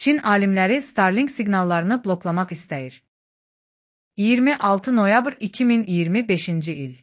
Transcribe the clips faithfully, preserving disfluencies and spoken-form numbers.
Çin alimləri Starlink siqnallarını bloklamaq istəyir. iyirmi altı noyabr iki min iyirmi beşinci il.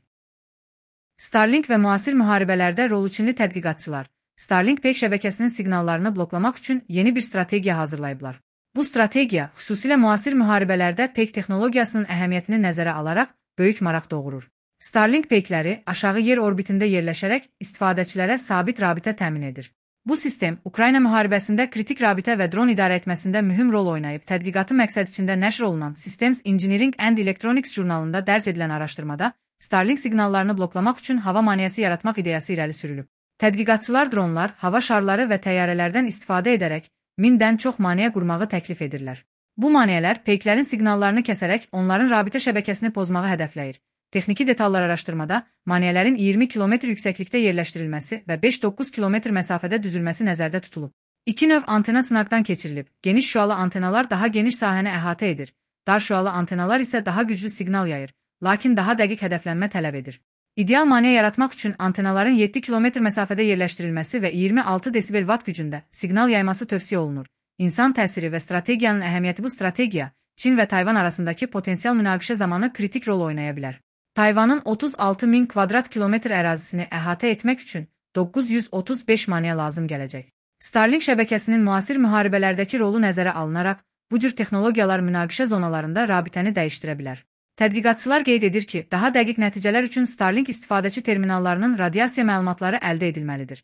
Starlink və müasir müharibələrdə rolu Çinli tədqiqatçılar Starlink peyk şəbəkəsinin siqnallarını bloklamaq üçün yeni bir strategiya hazırlayıblar. Bu strategiya xüsusilə müasir müharibələrdə peyk texnologiyasının əhəmiyyətini nəzərə alaraq böyük maraq doğurur. Starlink peykləri aşağı yer orbitində yerləşərək istifadəçilərə sabit rabitə təmin edir. Bu sistem Ukrayna müharibəsində kritik rabitə və dron idarə etməsində mühüm rol oynayıb. Tədqiqatı məqsəd içində nəşr olunan Systems Engineering and Electronics jurnalında dərc edilən araşdırmada Starlink siqnallarını bloklamaq üçün hava maneəsi yaratmaq ideyası irəli sürülüb. Tədqiqatçılar dronlar, hava şarları və təyyarələrdən istifadə edərək mindən çox maneə qurmağı təklif edirlər. Bu maneələr peyklərin siqnallarını kəsərək onların rabitə şəbəkəsini pozmağı hədəfləyir. Texniki detallar araşdırmada maneələrin iyirmi kilometr yüksəklikdə yerləşdirilməsi və beş doqquz kilometr məsafədə düzülməsi nəzərdə tutulub. İki növ antena sınaqdan keçirilib. Geniş şüalı antenalar daha geniş sahəni əhatə edir. Dar şüalı antenalar isə daha güclü siqnal yayır, lakin daha dəqiq hədəflənmə tələb edir. İdeal maneə yaratmaq üçün antenaların yeddi kilometr məsafədə yerləşdirilməsi və iyirmi altı desibel watt gücündə siqnal yayması tövsiyə olunur. İnsan təsiri və strategiyanın əhəmiyyəti. Bu strategiya Çin və Tayvan arasındakı potensial münaqişə zamanı kritik rol oynaya bilər. Tayvanın otuz altı min kvadrat kilometr ərazisini əhatə etmək üçün doqquz yüz otuz beş maneə lazım gələcək. Starlink şəbəkəsinin müasir müharibələrdəki rolu nəzərə alınaraq, bu cür texnologiyalar münaqişə zonalarında rabitəni dəyişdirə bilər. Tədqiqatçılar qeyd edir ki, daha dəqiq nəticələr üçün Starlink istifadəçi terminallarının radiasiya məlumatları əldə edilməlidir.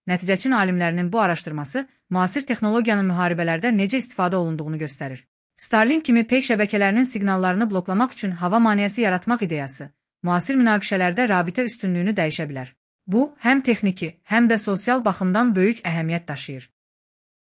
Nəticəçin alimlərinin bu araşdırması müasir texnologiyanın müharibələrdə necə istifadə olunduğunu göstərir. Starlink kimi peyk şəbəkələrinin siqnallarını bloklamaq üçün hava maneəsi yaratmaq ideyası müasir münaqişələrdə rabitə üstünlüyünü dəyişə bilər. Bu, həm texniki, həm də sosial baxımdan böyük əhəmiyyət daşıyır.